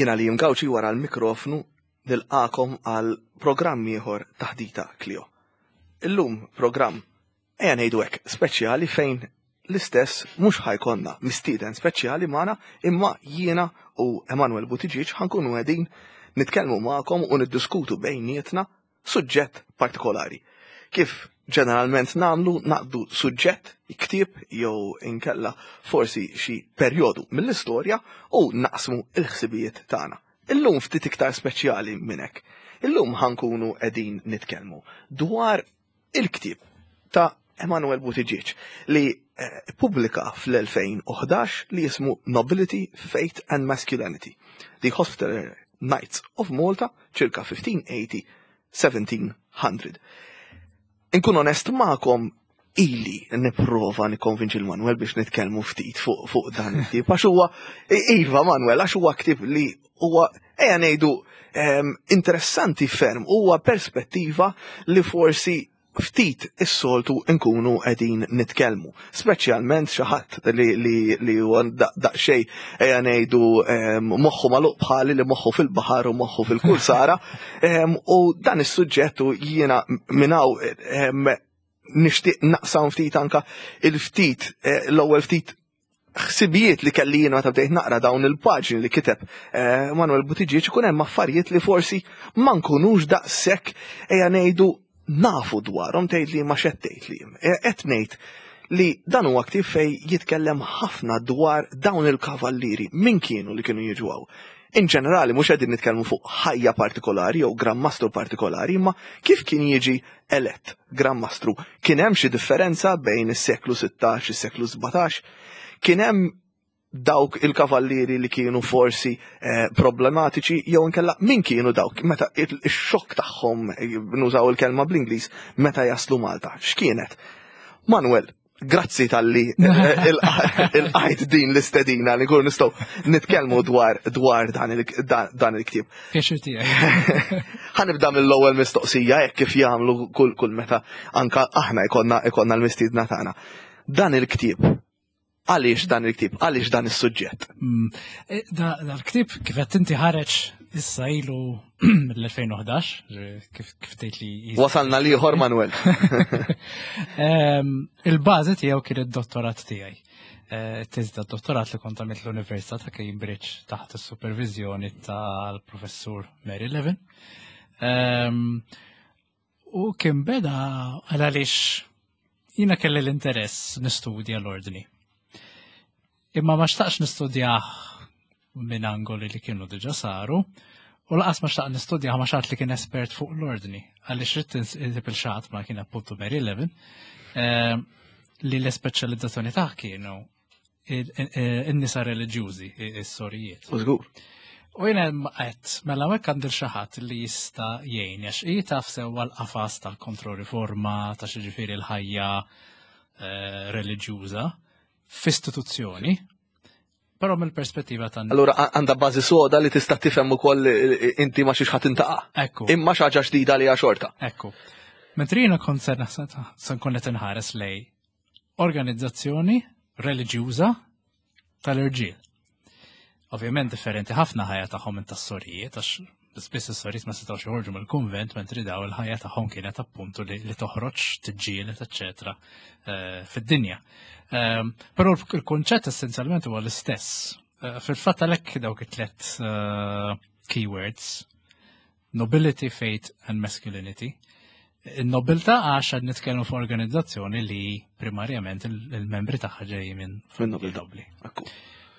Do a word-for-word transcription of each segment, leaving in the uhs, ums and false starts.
Jiena li Gauci wara l-mikrofnu nilqagħkom għal programm ieħor Taħdita Klio. Illum programm ejja ngħidu hekk speċjali fejn l-istess mhux ħa jkollna mistieden speċjali magħna imma jiena u Emanuel Buttigieg ħa nkunu qegħdin nitkellmu magħkom u niddiskutu bejnietna suġġett partikolari. Kif ġeneralment nagħmlu naqbdu suġġett, ktieb jew inkella forsi xi perjodu mill-istorja u naqsmu il-ħsibijiet tagħna. Illum ftit iktar speċjali minn hekk. Illum ħa nkunu qegħdin nitkellmu dwar il-ktieb ta' Emanuel Buttigieg li eh, pubblika fl-elfejn u ħdax li jismu Nobility, Faith and Masculinity. The Hospitaller Knights of Malta, circa fifteen eighty seventeen hundred. Inkun onest magħkom, ili nipprova nikkonvinċi l-Manuel biex nitkellmu ftit fuq fuq dan il-ktieb. Għax huwa, iva Manuel, għax huwa ktieb li huwa, ejja ngħidu, em, interessanti ferm, huwa perspettiva li forsi ftit is-soltu nkunu qegħdin nitkellmu. Speċjalment xi ħadd li li li huwa daqsxejn ejja ngħidu em, moħħu magħluq bħali, li moħħu fil-baħar u moħħu fil-kursara. Em, U dan is-suġġett u jiena minn hawn em, nixtieq naqsam ftit anka il-ftit eh, l-ewwel ftit ħsibijiet li kelli jiena meta bdejt naqra dawn il-paġni li kiteb eh, Manuel Buttigieg. Ikun hemm affarijiet li forsi ma nkunux daqshekk ejja ngħidu nafu dwarhom. Tgħid li ma xed tgħid li eh, qed ngħid li dan huwa ktieb fej jitkellem ħafna dwar dawn il-kavallieri, min kienu li kienu jiġu hawn. In ġenerali, mhux qegħdin nitkellmu fuq ħajja partikolari jew Gran Mastru partikolari, imma kif kien jiġi elett Gran Mastru. Kien hemm xi differenza bejn is-seklu sittax, is-seklu sbatax? Kien hemm dawk il-kavallieri li kienu forsi eh, problematiċi jew inkella min kienu dawk meta il-xokk tagħhom, eh, nużaw il-kelma bl-Ingliż, meta jaslu Malta? X'kienet? Manuel, grazzi talli eh, ilqajt din l-istedina li nkunu nistgħu nitkellmu dwar dwar dan il- dan il-ktieb. Pjaċir tiegħi. Ħa nibda mill-ewwel mistoqsija hekk kif jagħmlu kull kull meta anka aħna jkollna jkollna l-mistiedna tagħna. Dan il-ktieb, għaliex dan il-ktieb, għaliex dan is-suġġett? Mm, eh, Da dal-ktieb, kif qed inti, ħareġ issa ilu mill-elfejn u ħdax, kif kif tgħid li Wasalna l-ieħor, Manuel. Em, Il-bażi tiegħu kien id-dottorat tiegħi. Eh, Teżi dottorat li kont għamilt l-Università ta' Cambridge taħt is-supervizjoni tal-professur Mary Levin. Em, U kien beda għal għaliex jiena kelli l-interess nistudja l-ordni. Imma ma xtaqx nistudjah minn angoli li kienu diġa saru, u lanqas ma xtaqt nistudjah ma' xi ħadd li kien espert fuq l-ordni, għaliex ridt insib 'il xi ħadd, ma kien appuntu Mary Levin, eh, li l-ispeċjalizzazzjoni tagħha kienu in-nisa reliġjużi, is-sorijiet. U żgur. U jiena għedt, mela hekk għandi xi ħadd li jista' jgħin, għax hi taf sewwa l-qafas tal-kontroriforma, ta' xiġifieri l-ħajja eh, reliġjuża f'istituzzjoni, però mill-perspettiva ta' Allura għandha bażi soda li tista' tifhem ukoll eh, inti ma xiex ħadd intaqa'. Ekku. Imma xi ħaġa ġdida li hija xorta. Ekku. Mentri jiena kont se naħseb se nkun qed inħares lej organizzazzjoni reliġjuża tal-irġiel. Ovvjament differenti ħafna ħajja tagħhom minn tas-sorijiet, għax spiss is-sorijiet ma setgħux joħorġu mill-kunvent, mentri daw il-ħajja tagħhom kienet appuntu li, li toħroġ, tiġġieled, eċċetera, eh, fid-dinja. Ehm, Però il-kunċett essenzjalment huwa l-istess. Eh, Fil-fatt għalhekk dawk it-tlet eh, keywords: nobility, faith and masculinity. Il-nobiltà għax qed nitkellmu fuq organizzazzjoni li primarjament il- il-membri tagħha ġejjin minn Minn nobiltà. nobli. Ekku.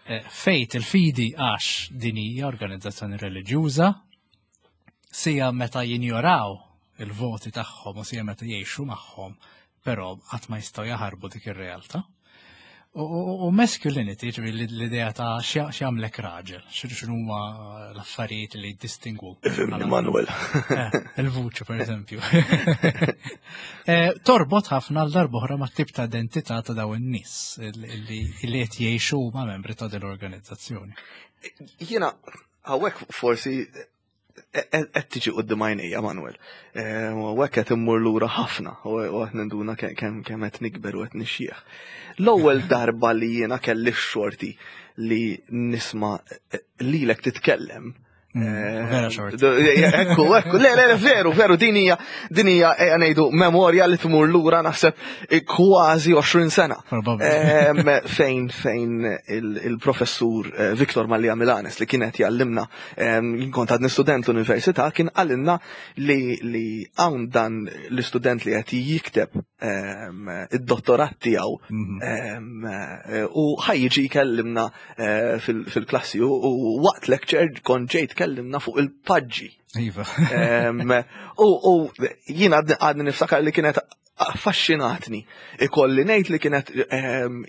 Eh, Faith, il-fidi, għax din hija organizzazzjoni reliġjuża, sija meta jinjoraw il-voti tagħhom u sija meta jgħixu magħhom, però qatt ma jistgħu jaħarbu dik ir-realtà. U, u, u masculinity, ġifieri l-idea ta' x'jagħmlek raġel, x'inhu huma l-affarijiet li jiddistingwu. Ifhimni, Manuel. Eh, il-vuċi, per eżempju. Eh, Torbot ħafna għal darb'oħra ma' tip ta' identità ta' daw in-nies li li qed jgħixu ma' membri ta' din l-organizzazzjoni. Jiena hawnhekk forsi Qed tiġi quddiem għajnejja, Manuel. U hekk qed immur lura ħafna u qed ninduna kemm kemm qed nikber u qed nixjieħ. L-ewwel darba li jiena kelli x-xorti li nisma' lilek titkellem. Mm, vera xort. Ekku, ekku, le, le, veru, veru, din hija, din hija, ejja ngħidu, memorja li tmur lura naħseb kważi għoxrin sena. Fejn, fejn il-professur eh, Viktor Mallia Milanes li kienet jallimna, jien kont għadni student l-università, kien qalilna li li hawn dan l-istudent li qed jikteb id-dottorat tiegħu mhm. u ħa jiġi jkellimna eh, fil-klassi u waqt lecture kont ġejt tkellimna fuq il-paġġi. Iva. U jiena għadni niftakar li kienet affaxxinatni. Ikolli ngħid li kienet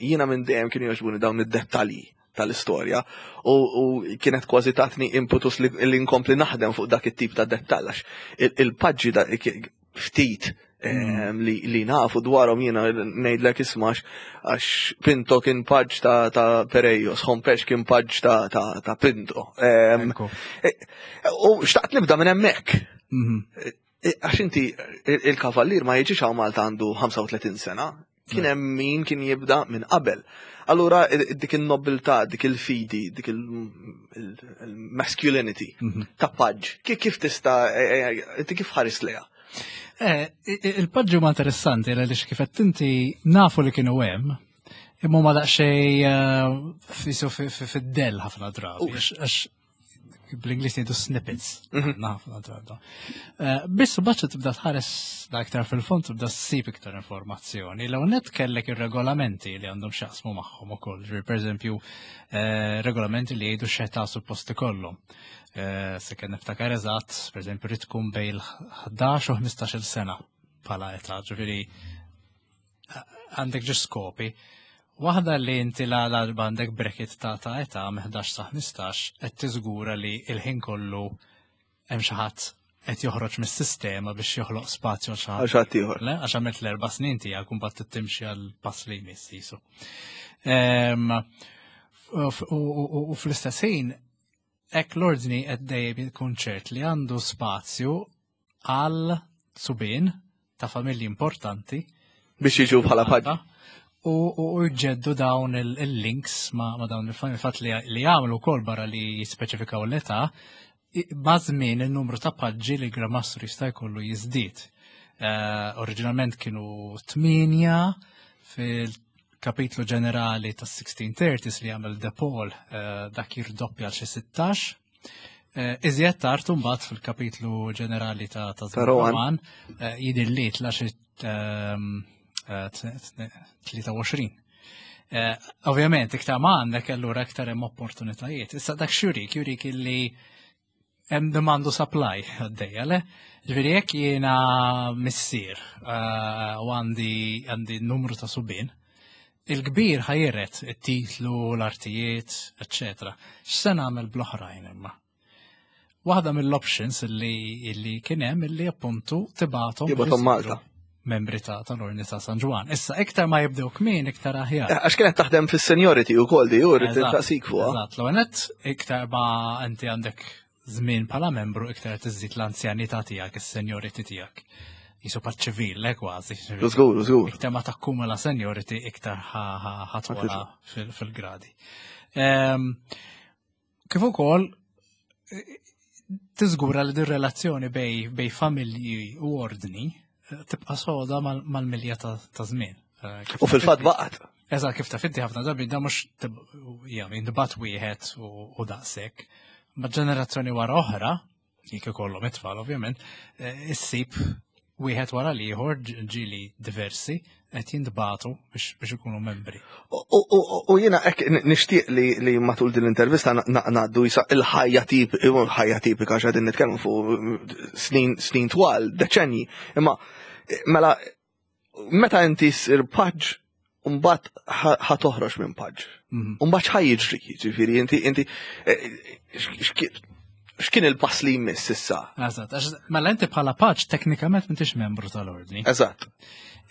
jiena minn dejjem kienu jogħġbuni dawn id-dettalji tal-istorja u kienet kważi tatni impetus li nkompli naħdem fuq dak it-tip ta' dettall, għax il-paġġi ftit mm. li, li nafu dwarhom, jiena ngħidlek isma', għax Pinto kien paġġ ta', ta Perejos, Hompesch kien paġġ ta', ta, ta Pinto. E, u xtaqt nibda minn hemmhekk. Mhm. E, għax inti il-kavallir ma jiġix hawn Malta għandu ħamsa u tletin sena, kien hemm min kien jibda minn qabel. Allura dik il-nobiltà, dik il-fidi, dik il-masculinity mhm. ta' paġġ, kif tista', inti kif ħares lejha? Eh, il-paġġi huma interessanti għaliex kif qed inti nafu li kienu hemm, imma ma daqsxejn eh, fisu fid-dell ħafna drabi, għax bl-Ingliż jgħidu snippets, mhm. ħafna drabi. Eh, biss baċċa tibda tħares da iktar fil-fond, tibda ssib iktar informazzjoni. L net kellek ir-regolamenti li għandhom x'jaqsmu magħhom ukoll, ġifieri pereżempju regolamenti li jgħidu x'età suppost ikollhom. Eh, se kien niftakar eżatt, per eżempju, rrid tkun bejn ħdax u ħmistax-il sena bħala età, ġifieri għandek ġo skopi. Waħda li inti la l-arba għandek bracket ta' ta' età minn ħdax sa ħmistax, qed tiżgura li il-ħin kollu hemm xi ħadd qed joħroġ mis-sistema biex joħloq spazju għal xi ħadd. Għal xi ħadd ieħor. Le, għax għamilt l-erba' snin tiegħek u mbagħad timxi għal pass li jmiss jisu. Ehm, U fl-istess ħin, hekk l-ordni qed dejjem ikun ċert li għandu spazju għal subien ta' familji importanti biex jiġu bħala paġġi. U u jġeddu dawn il-links ma, ma dawn il-familji, fatt li li jagħmlu wkoll, barra li jispeċifikaw l-età, ma' żmien il-numru ta' paġġi li Gran Mastru jista' jkollu jiżdied. Uh, oriġinalment kienu tmienja, fil-kapitlu ġenerali tas sixteen thirties li għamel De Paul uh, dak jirdoppja għal xi sittax. Uh, Iżjed tard mbagħad fil-kapitlu ġenerali ta' ta' Ta' Rohan. Rohan uh, jidher li tla xi um, uh, tlieta u għoxrin. Eh, Ovvjament, iktar ma għandek, allura iktar hemm opportunitajiet. Issa dak x'jurik, jurik illi hemm demand u supply għaddejja, le? Ġifieri jekk jiena missier eh, u għandi għandi numru ta' subien, il-kbir ħa jiret it-titlu, l-artijiet, eccetera. X'se nagħmel bl-oħrajn imma? Waħda mill-options illi, illi kien hemm illi appuntu tibgħathom Tibgħathom Malta. membri ta' tal-Ordni ta' San Ġwann. Issa iktar ma jibdew kmin, iktar aħjar. Eh, Għax kienet taħdem fis-seniority u kol di, u rrid Eżatt, taqsik fuqha. Eżatt, l-għanet, iktar ma inti għandek żmien bħala membru, iktar tiżid l-anzjanità tiegħek, is-seniority tiegħek. Jisu patt ċivil, le kważi. Żgur, żgur. Iktar ma takkumula seniority, iktar ħa togħla fil-gradi. Ehm, Kif ukoll eh, tiżgura li din relazzjoni bej bej familji u ordni eh, tibqa' soda mal- mal-milja ta' ta' żmien. Eh, kif U fil-fatt baqgħet. Eżatt, kif taf inti ħafna drabi da mhux ja, jintbagħat wieħed u u daqshekk. Ma ġenerazzjoni wara oħra, jekk ikollhom it-tfal ovvjament, eh, issib wieħed wara l-ieħor, ġieli diversi qed jintbagħtu biex biex ikunu membri. U- U u jiena hekk nixtieq li li matul din l-intervista ngħaddu jisa il-ħajja tip il-ħajja tipika, għax qegħdin nitkellmu fuq snin snin twal, deċenji. Imma mela meta inti ssir paġġ, mbagħad ħa toħroġ minn paġġ. Mhm. Mbagħad x'ħa jiġri, ġifieri inti inti eh, x'kien il-pass li jmiss issa? Eżatt, għax mela inti bħala paġġ teknikament m'intix membru tal-ordni. Eżatt.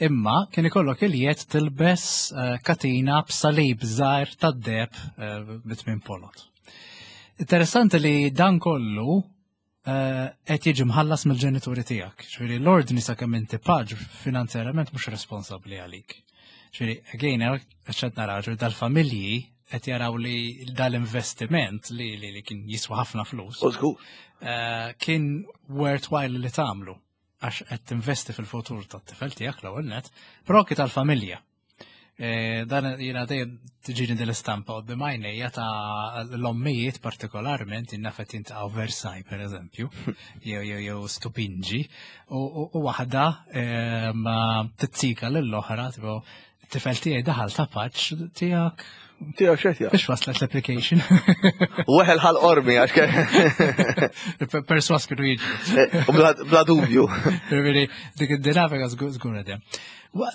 Imma kien ikollok il-jedd tilbes eh, katina b'salib żgħir tad-deheb eh, bi tmien ponot. Interessanti li dan kollu eh, qed jiġi mħallas mill-ġenituri tiegħek. Ġifieri l-ordni sakemm inti paġ finanzjarjament mhux responsabbli għalik. Ġifieri, again, qed naraw, ġifieri dal-familji qed jaraw li dal-investiment li, li, li kien jiswa ħafna flus, U żgur. eh, kien worthwhile li tagħmlu għax qed tinvesti fil-futur tat-tifel tiegħek l-ewwel net, però anki tal-familja. Eh, Dan jiena dejjem tiġini din l-istampa quddiem għajnejja ta' l-ommijiet partikolarment innafet jintaqgħu Versailles per eżempju, jew jew jew Stupingi, u u- u waħda eh, ma tizzika lill-oħra, tipo t-tifel tiegħi daħal ta' paġ tiegħek Tiegħek x'qed biex waslet l-application. Weħel ħal qormi għax ke- Perswas kienu jiġu. U bla bla dubju. Ġifieri, dik id-dinamika żgur żgur għedem.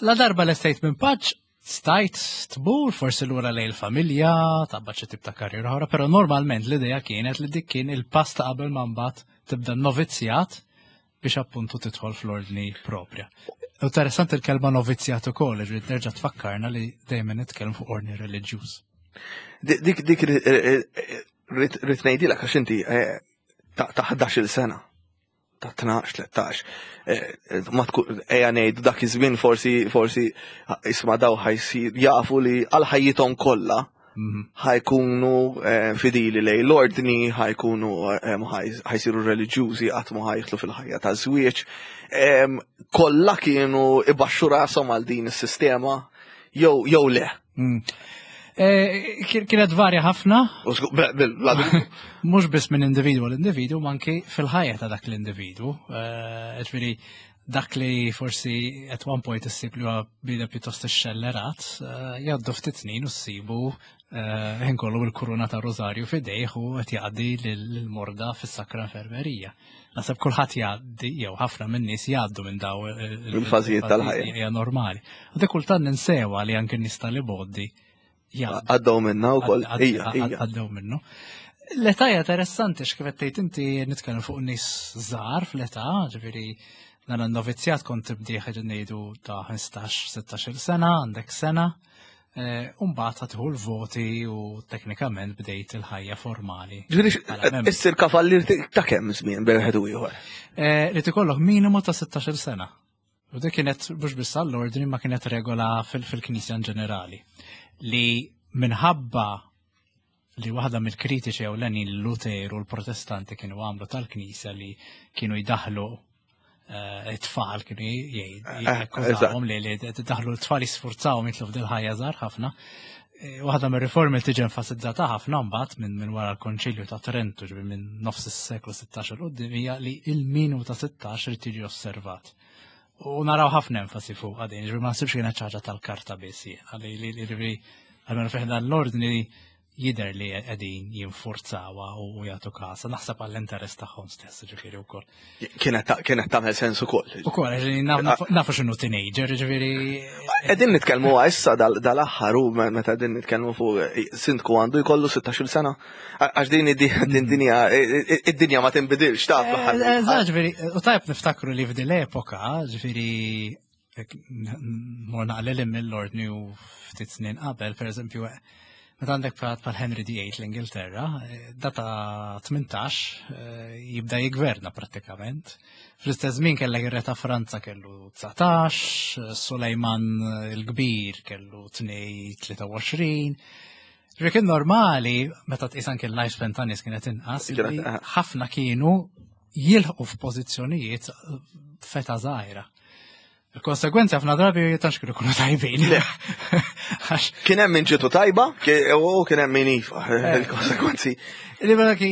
La darba l-estate minn paġ, stajt tmur forsi lura lejn il-familja, tabba xi tip ta' karriera oħra, però normalment l-idea kienet li dik kien il-pass ta' qabel ma mbagħad tibda novizzjat biex appuntu tidħol fl-ordni propja. Interessanti il-kelma novizzjat ukoll, ġifieri terġa' tfakkarna li dejjem nitkellmu fuq ordni reliġjuż. Dik dik dik rrid ngħidilek għax inti eh, ta' ta' ħdax-il sena. Ta' tnax, tlettax. Eh, Ma tkun ejja ngħid dak iż-żmien forsi forsi isma' daw ħa jsir jafu li għal ħajjithom kollha Mhm. ħa jkunu eh, fidili lejn l-ordni, ħa jkunu eh, ħa jsiru reliġjużi, qatt ma ħa jidħlu fil-ħajja ta' żwieġ. Em, Kollha kienu ibaxxu rashom għal din is-sistema jew jew le. Mm. Eh, kien- Kienet varja ħafna, U żgur- bla- bla dubju. mhux biss minn individwu l-individwu, ma anki fil-ħajja ta' dak l-individwu. Eh, Ġifieri, dak li forsi at one point issib li huwa bida pjuttost xellerat, eh, jgħaddu ftit snin u ssibu eh, ħin kollu il-kuruna ta' Rosario f'idejh u qed jgħaddi lill-morda fis-sakra infermerija. Naħseb kulħadd jgħaddi, jew ħafna minn nies jgħaddu minn daw il- Il-fażijiet tal-ħajja. Hija normali. U dik kultant ninsewa li anke nies tal-iboddi jgħaddu Għaddew minna wkoll. għad- Ija, għad- ija. Għaddew minnu. L-età hija interessanti x'kif qed tgħid inti nitkellem fuq nies żgħar fl-età, ġifieri dan in-novizzjat kont tibdi ħaġa ngħidu ta' ħmistax, sittax-il sena, għandek sena, eh, u mbagħad tieħu l-voti u teknikament bdejt il-ħajja formali. Ġifieri Bħala membru. issir kavallier ta' kemm żmien bejn wieħed u ieħor. Eh, Li tikollok minimu ta' sittax-il sena. U dik kienet mhux biss għall-ordni ma kienet regola fil- fil-Knisja in ġenerali. Li minħabba li waħda mill-kritiċi ewlenin Luteru u l-Protestanti kienu għamlu tal-Knisja li kienu jdaħlu eh, it-tfal kienu Eh, jgħid li li daħlu l-tfal jisfurzawhom jitlu f'dil ħajja żgħar ħafna. Eh, Waħda mir-riformi li tiġi enfasizzata ħafna mbagħad minn minn wara l-Konċilju ta' Trento, ġifieri minn nofs is-seklu sittax 'il quddiem hija li il-minimu ta' sittax irid tiġi osservat. U naraw ħafna enfasi fuq għadin, ġifieri ma nsibx kienet ħaġa tal-karta biss, għalli li li ġifieri għalmenu fih dan l-ordni jider li qegħdin jinfurzawa u jagħtu kasa, naħseb għall-interess tagħhom stess, ġifieri wkoll. Kienet ta- kienet tagħmel sens ukoll. Ukoll, ġifieri nafu nafu x'inhu teenager, ġifieri Qegħdin nitkellmu issa dal- dal-aħħar u me- meta qegħdin nitkellmu fuq sindku għandu jkollu sittax-il sena. Għax din id- din dinja id-dinja ma tinbidilx taf. Eżatt, ġifieri, u tajb niftakru li f'din l-epoka, ġifieri, mor naqlel mill-ordni u ftit snin qabel, per eżempju, meta għandek bħal bħal Henry the Eighth l-Ingilterra, eh, data tmintax eh, jibda jigverna prattikament. Fl-istess żmien kellek ir-re ta' Franza kellu dsatax, Sulejman il-Kbir kellu tnejn tlieta u għoxrin. Ġifieri kien normali, meta tqis anke l-lifespan ta' nies kienet inqas, Kienet, li eh. ħafna kienu jilħqu f'pożizzjonijiet f'età żgħira. Il-konsegwenzi ħafna drabi tantx kienu jkunu tajbin. Għax Kien hemm min ġitu tajba, ki- u kien hemm min ifa. Il-konsekwenzi. li mela ki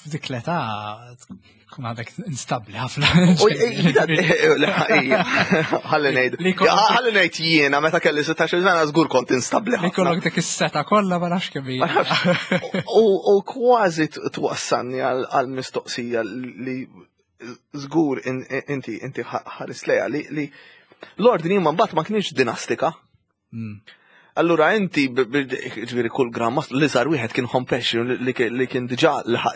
f'dik l-età tkun għadek instabli ħafna. U ħalli ngħid. Li kollok- Ħalli ngħid jiena meta kelli sittax-il sena żgur kont instabli Li ħafna. kollok dik is-seta kollha ma nafx kemm hija. U u kważi t- twassalni għal għal mistoqsija li żgur in- inti inti ħares lejha li li l-ordni ma mbagħad ma kienx dinastika. Mm. Allura inti b- b- ġifieri kull Gran Mastru li sar wieħed kien Hompesch li li- li kien diġà laħaq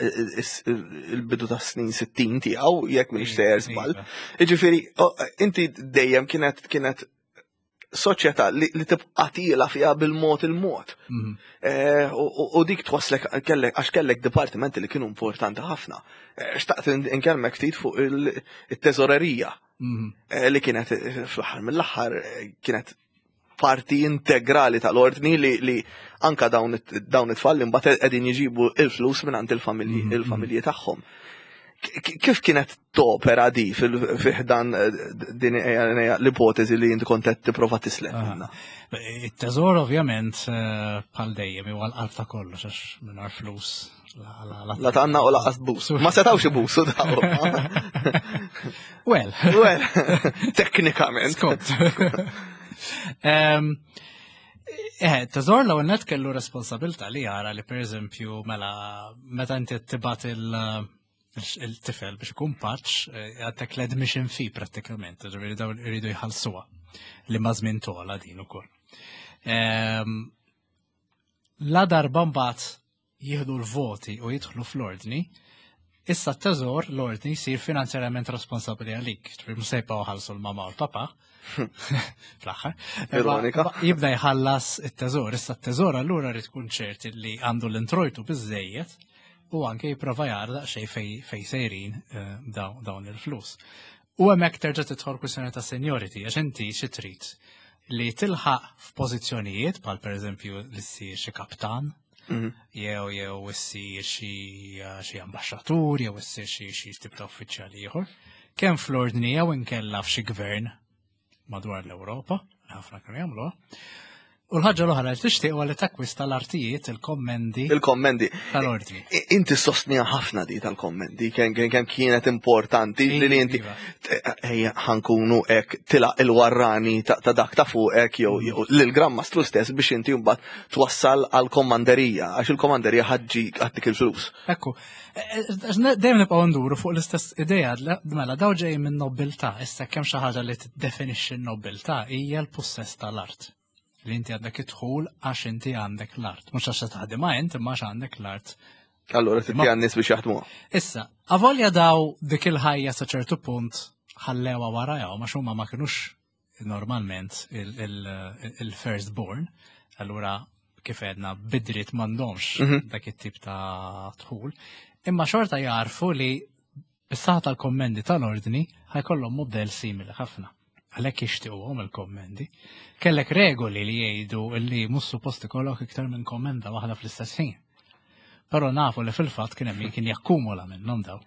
il-bidu ta' snin sittin tiegħu jekk m'iniex sejjer żball. Iva. Ġifieri inti dejjem kienet kienet soċjetà li, li tibqa' tiela fiha bil-mod il-mod. Mhm. Eh, U u- u dik twaslek kellek għax kellek dipartimenti li kienu importanti ħafna. Eh, Xtaqt in- inkellmek ftit fuq il- it-teżorerija Mhm. eh, li kienet eh, fl-aħħar mill-aħħar eh, kienet parti integrali tal-ordni li, li anka dawn it- dawn it-tfal li mbagħad qegħdin jġibu il-flus minn għand il-familji Mhm, il-familji tagħhom. K- Kif kienet topera di fil-ħdan din eh, l-ipotezi li inti kont qed tipprova tislet Aha. minnha? Il-teżor ovvjament eh, bħal dejjem huwa l-qalb ta' kollox għax mingħajr flus. La, la, la, La tanna u lanqas busu. Ma setawx ibusu daw. Well, Well, teknikament. Skont. Em, Eh, teżor l net kellu responsabilta li jara li per eżempju mela meta inti tibgħat il- il-tifel biex ikun paġġ, eh, għandek l-admission fee prattikament, ġifieri dawn iridu jħallsuha li ma' żmien tola din ukoll. Em, La darba mbagħad jieħdu l-voti u jidħlu fl-ordni, issa t-teżor l-ordni jsir finanzjarjament responsabbli għalik. Ġifieri mhux se jibqgħu ħallsu l-mama u l-papa fl-aħħar. Ironika. Imma jibda jħallas it-teżor. Issa t-teżor allura rrid tkun ċert li għandu l-introjtu biżejjed u anke jipprova jara daqsxejn fej, fej sejrin eh, daw- dawn il-flus. U hemmhekk terġa' tidħol kwistjoni ta' seniority, għax inti xi trid li tilħaq f'pożizzjonijiet bħal pereżempju li ssir xi kaptan, Mhm. jew jew issir xi xi ambaxxatur, jew issir xi xi tip ta' uffiċjali ieħor, kemm fl-ordni jew inkella f'xi gvern madwar l-Ewropa, ħafna kienu jagħmluha. U l-ħaġa l-oħra li tixtieq huwa li takkwista l-artijiet, il-kommendi Il-kommendi. tal-ordni. I- Inti sostnija ħafna di tal-kommendi, kemm kemm kienet importanti li li inti Iva. ejja ħa nkunu hekk tilaq il-warrani ta' ta' dak ta' fuqek jew jew lil-Gran Mastru stess biex inti mbagħad twassal għal komanderija għax il-komanderija ħa ġġib għattik il-flus. Ekku, eh, eh, dejjem nibqgħu nduru fuq l-istess idea, mela daw ġej minn nobiltà, issa kemm xi ħaġa li tiddefinixxi n-nobiltà hija l-pussess tal-art. Li inti għandek idħul għax inti għandek l-art. Mhux għax taħdimha int, imma għax għandek l-art. Allora titti għan-nies biex jaħdmuha. Issa, avolja daw dik il-ħajja sa ċertu punt ħallewa warajhom għax huma ma kinux normalment il-first born, allura kif għedna bidrit m'għandhomx Mhm. dak it-tip ta' dħul, imma xorta jarfu li bis-saħħa tal-kommendi tal-ordni ħa jkollhom modell simili ħafna. Għalhekk jixtiequhom il-kommendi. Kellek regoli li jgħidu li mhux suppost ikollok iktar minn kommenda waħda fl-istess ħin. Però nafu li fil-fatt kien hemm min kien jakkumula minnhom daw.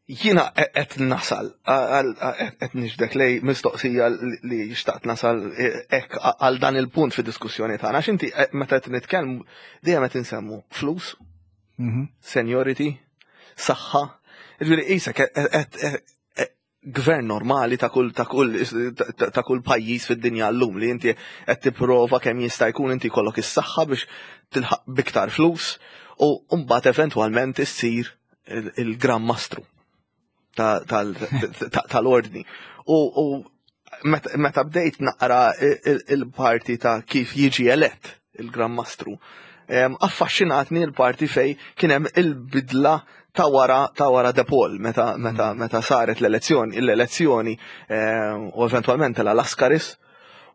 Jiena qed nasal, qed niġbdek lej mistoqsija li xtaqt nasal hekk għal dan il-punt fid-diskussjoni tagħna. Għax inti meta qed nitkellmu dejjem qed insemmu flus, Mhm. seniority, saħħa. Ġifieri qisek qed gvern normali ta' kull ta' kull ta' kull pajjiż fid-dinja llum li inti qed tipprova kemm jista' jkun inti jkollok is-saħħa biex tilħaq biktar flus u mbagħad eventwalment issir il-Gran Mastru tal-ordni. U meta bdejt naqra il-parti ta' kif jiġi elett il-Gran Mastru, affaxxinatni l-parti fej kien hemm il-bidla ta' wara ta' wara De Paul meta meta meta saret l-elezzjoni l-elezzjoni u eventwalment la Lascaris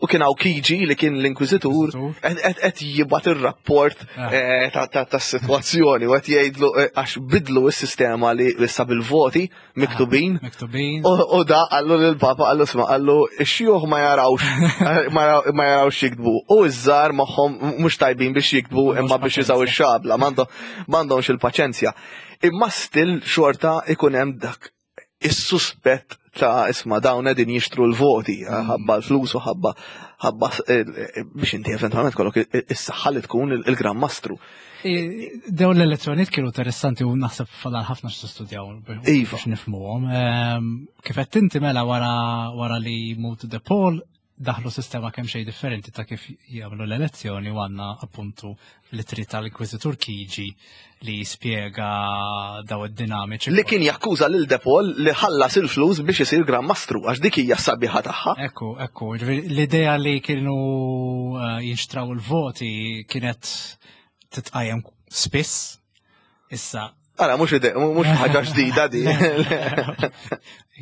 u kien hawn Chigi li kien l-inkwiżitur qed jibgħat ir-rapport ah. tas-sitwazzjoni u qed jgħidlu għax bidlu s-sistema li issa bil-voti miktubin. Miktubin. U da qallu lill-papa qallu isma' qallu x-xjuħ ma jarawx ma jarawx jiktbu u iż-żgħar magħhom mhux tajbin biex jiktbu imma biex jużaw ix-xabla m'għandhomx il-paċenzja. Imma still xorta ikun hemm dak is-suspett ta' isma' dawn qegħdin jixtru l-voti, mm. ħabba l-flus u ħabba ħabba eh, biex inti eventwalment kollok is-saħħa li tkun il-Gran Mastru. Dawn l-elezzjonijiet kienu interessanti u naħseb fadal ħafna x'tistudjaw Iva. biex nifhmuhom. Ehm, kif qed inti mela wara wara li mut De Paul daħlu sistema kemm xejn differenti ta' kif jagħmlu l-elezzjoni u għandna appuntu l-ittri tal-Inkwiżitur Chigi li jispjega daw id-dinamiċi. Li kien jakkuża lil De Paul li ħallas il-flus biex isir Gran Mastru, għax dik hija sabiħa tagħha. Ekku, ekku, l-idea li kienu eh, jinxtraw il-voti kienet titqajjem spiss. Issa, Ara, mhux mhux ħaġa ġdida di.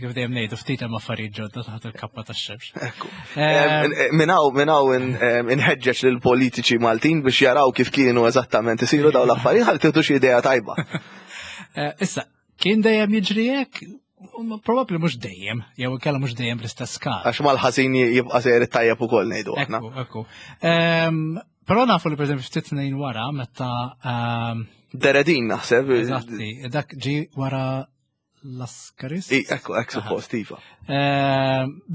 Kif dejjem ngħidu, ftit hemm affarijiet ġodda taħt il-kappa tax-xemx. Minn hawn minn hawn inħeġġeġ lill-politiċi Maltin biex jaraw kif kienu eżattament isiru dawn l-affarijiet ħalli tieħdu xi idea tajba. Eh, issa, kien dejjem jiġri hekk? Probabbli mhux dejjem, jew inkella mhux dejjem bl-istess skala. Għax mal-ħażin jibqa' sejjer it-tajjeb ukoll, ngħidu aħna. Ekku, ekku. Però nafu li, pereżempju, ftit snin wara meta De Redin, naħseb. Eżatti, dak ġi wara Lascaris. Ekku, ekku, suppost, iva.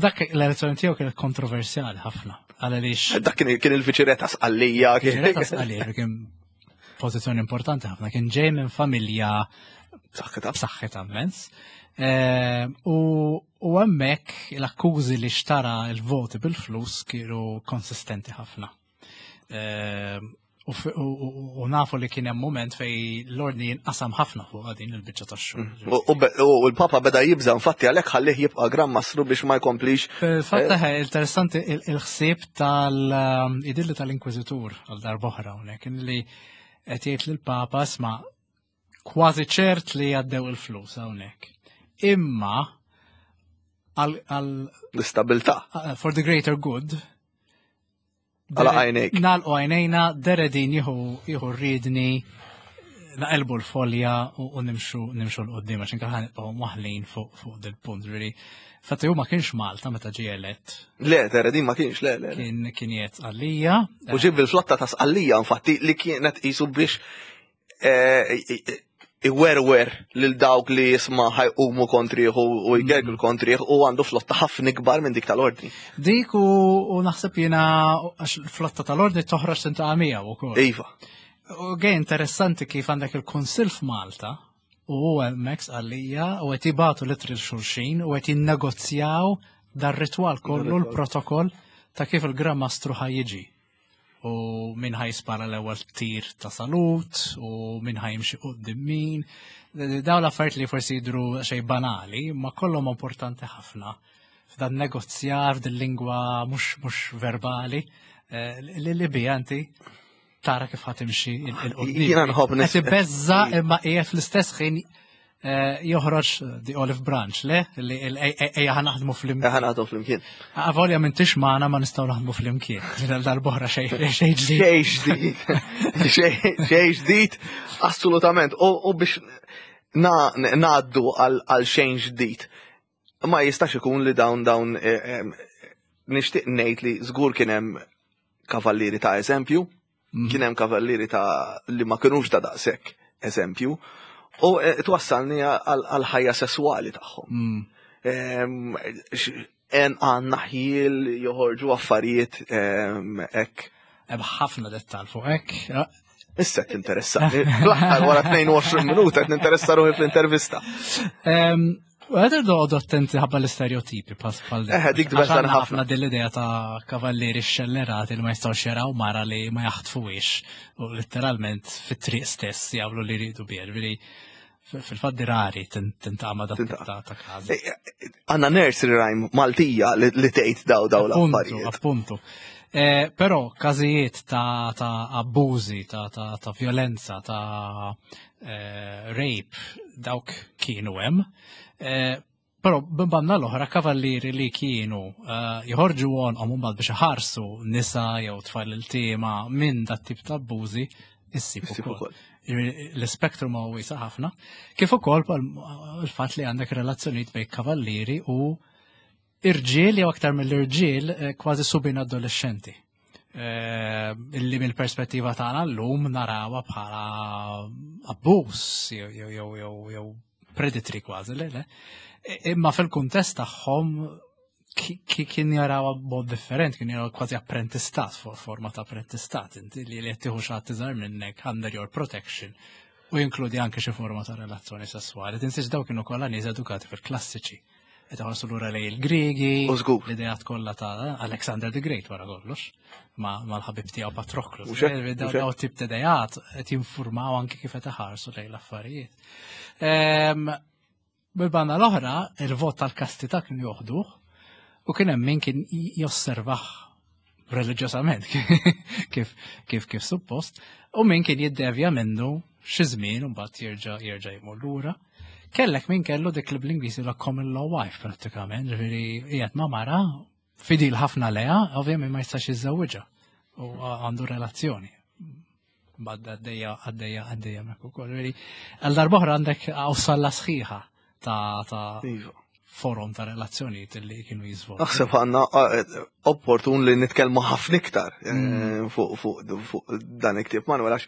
Dak l-elezzjoni tiegħu kienet kontroversjali ħafna. Għaliex. Dak kien il-viċirè ta' Sqallija. Viċirè ta' Sqallija kien pożizzjoni importanti ħafna, kien ġej minn familja b'saħħitha. B'saħħitha immens. U hemmhekk l-akkużi li xtara il-voti bil-flus kienu konsistenti ħafna. U nafu li kien hemm moment fej l-ordni jinqasam ħafna fuq din il-biċċa tax-xogħol. U l-Papa beda jibża, infatti għalhekk ħallih jibqa' Gran Mastru biex ma jkomplix. Fil-fatt interessanti il-ħsieb tal-idilli tal-Inkwiżitur għal darb'oħra hawnhekk li qed jgħid lill-Papa, "Isma', kważi ċert li għaddew il-flus hawnhekk. Imma għal l-istabilità. For the greater good, Għalaq għajnejk. Nagħlqu għajnejna, De Redin jieħu jieħu r-riedni, naqelbu l-folja u nimxu nimxu 'l quddiem għax inkella nibqgħu maħlin fuq fuq dil-punt. Really. Fatti hu ma kienx Malta meta ġie elett. Le, De Redin ma kienx, le, le. Kien kien qiegħed Sqallija. U ġib il-flotta ta' Sqallija, infatti, li kienet qisu biex eh, iwerwer lil dawk li jisma' ħa jqumu kontrih u jgergru kontrih, u għandu flotta ħafna ikbar minn dik tal-ordni. Dik u, u naħseb jiena għax il-flotta tal-ordni toħroġ tintaqa' miegħu ukoll. Iva. U gej interessanti kif għandek il-Kunsill f'Malta u hu hemmhekk Sqallija u qed jibagħtu ittri lil xulxin u qed jinnegozjaw dar-ritwal kollu, l-protokoll ta' kif il-Gran Mastru ħa jiġi. U min ħa jispara l-ewwel tir ta' salut u min ħa jimxi quddiem min. Dawn l-affarijiet li forsi jidru xejn banali, ma kollhom importanti ħafna f'dan negozjar, f'din lingwa mhux mhux verbali eh, li li bija inti tara kif ħa timxi 'l quddiem. Jiena nħobb nis- Qed ibeżza imma qiegħed fl-istess ħin eh, joħroġ the olive branch, le? Li ejja ħa naħdmu flimkien. Ħa naħdmu flimkien. Avolja m'intix magħna ma nistgħu naħdmu flimkien. Darb'oħra xejn xejn ġdid. Xejn ġdid. Xejn ġdid, assolutament. U biex ngħaddu għal xejn ġdid. Ma jistax ikun li dawn dawn eh, eh, nixtieq ngħid li żgur kien hemm kavallieri ta' eżempju, Mhm. kien hemm kavallieri ta' li ma kinux ta' daqshekk eżempju, u eh, twassalni għal ħajja sesswali tagħhom. Mm. Em, x- En għandna ħjiel joħorġu affarijiet em, hekk. Hemm ħafna dettal fuq hekk. Issa qed tinteressani. Fl-aħħar wara tnejn u għoxrin minuta qed ninteressa ruħi fl-intervista. Em, U għed irdu attenti ħabba l-istereotipi pas bħal Eħe, dik Għax tbeżżan għandna ħafna. ħafna din l-idea ta' kavallieri xellerati li ma jistgħux jaraw mara li ma jaħtfuhiex u letteralment fit-triq stess jagħmlu li jridu biha. Ġifieri fil-fatt rari tintaqa' dat Tintaqa'. ta' ta' każ. Eh, Għandna nursery rhyme Maltija li li tgħid daw daw Appuntu, l-affarijiet. appuntu. Eh, però każijiet ta', ta' abbużi, ta', ta', ta' violenza, ta' eh, rape, dawk kienu hemm. Eh, però b'banna l-oħra kavallieri li kienu eh, joħorġu għonqhom mbagħad biex iħarsu nisa jew tfal iltiema minn dat tip ta' abbużi issib Issib ukoll. ukoll. Ġifieri, l-spektrum huwa wiesa' ħafna. Kif ukoll pal- il-fatt li għandek relazzjonijiet bejn kavallieri u irġiel jew aktar mill-irġiel eh, kważi subien adolescenti. Eh, Illi mill-perspettiva tagħna llum narawha bħala abbuż jew jew jew jew jew predatory kważi, le le. I- Imma fil-kuntest tagħhom ki- ki- kien jarawha b'mod different, kien jaraw kważi apprentistat, for forma ta' apprentistat, inti li li qed tieħu xi ħadd iżgħar minnek under your protection u jinkludi anke xi forma ta' relazzjoni sessuali. Tinsiex daw kienu kollha nies edukati fil-klassiċi. Qed iħarsu lura lejn il-Griegi, U żgur. l-ideat kollha ta' Alexander the Great wara kollox, ma' mal-ħabib tiegħu Patroclus. Mhux hekk, Eh, Daw mhux hekk. daw tip ta' ideat qed jinformaw anke kif qed iħarsu lejn l-affarijiet. Ehm, Bil-banda l-oħra, il-vot tal-kastità kienu joħduh u kien hemm min kien josservah reliġjosament kif kif kif suppost u min kien jiddevja minnu xi żmien u mbagħad jerġa' jerġa' jmur lura. Kellek min kellu dik li bl-Ingliż la common law wife prattikament, ġifieri qiegħed ma' mara fidil ħafna leha, ovvjament ma jistax jiżżewwiġha u għandu relazzjoni. Bad għaddejja, għaddejja, għaddejja mek ukoll. Ġifieri, għal darb'oħra għandek awsalla sħiħa ta' ta' Iva. forom ta' relazzjonijiet li kienu jiżvolġu. Naħseb għandna eh, opportun li nitkellmu ħafna iktar eh, Mm. fuq fuq fuq dan il-ktieb, Manuel, għax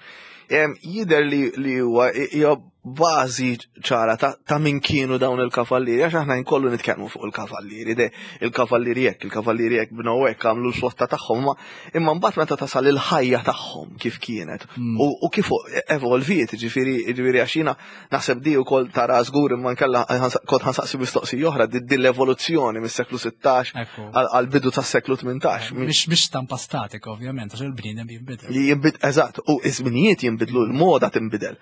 em, jidher li li huwa hija bażi ċara ta', ta' min kienu dawn il-kavallieri, għax aħna nkollu nitkellmu fuq il-kavallieri, de il-kavallieri hekk, il-kavallieri hekk bnew hekk, għamlu l-flotta tagħhom, ma imma mbagħad meta tasal il-ħajja tagħhom kif kienet Mm. u, u kif evolviet, ġifieri ġifieri għax jiena naħseb di wkoll tara żgur, imma nkella kont ħa nsaqsi mistoqsija oħra, di di l-evoluzzjoni mis-seklu sittax Ekku. għal bidu tas-seklu tmintax. Mhix mhix stampa statika ovvjament, għax il-bniedem jinbidel. Li jinbid, eżatt, u iż-żminijiet jinbidlu, l-moda tinbidel.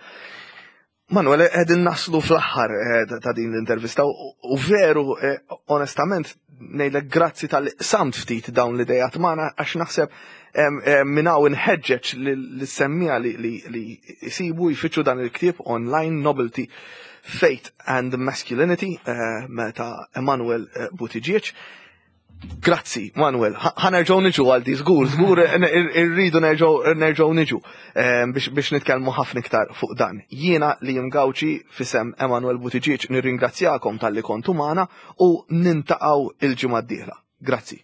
Manuel, qegħdin naslu fl-aħħar eh, ta' ta' din l-intervista u u veru, eh, onestament, ngħidlek grazzi tal-samt ftit dawn l-idejat magħna, għax naħseb em, em, minn hawn inħeġġeġ lis-semmiegħa li li li jsibu jfittxu dan il-ktieb online, Nobility, Faith and Masculinity, eh, ta' Emanuel eh, Buttigieg. Grazzi, Manuel. Ħa nerġgħu niġu għal di, żgur, żgur irridu nerġgħu nerġgħu niġu eh, biex biex nitkellmu ħafna iktar fuq dan. Jiena li Gauci f'isem Emanuel Buttigieg nirringrazzjakom talli kontu magħna u niltaqgħu il-ġimgħa d-dieħla. Grazzi.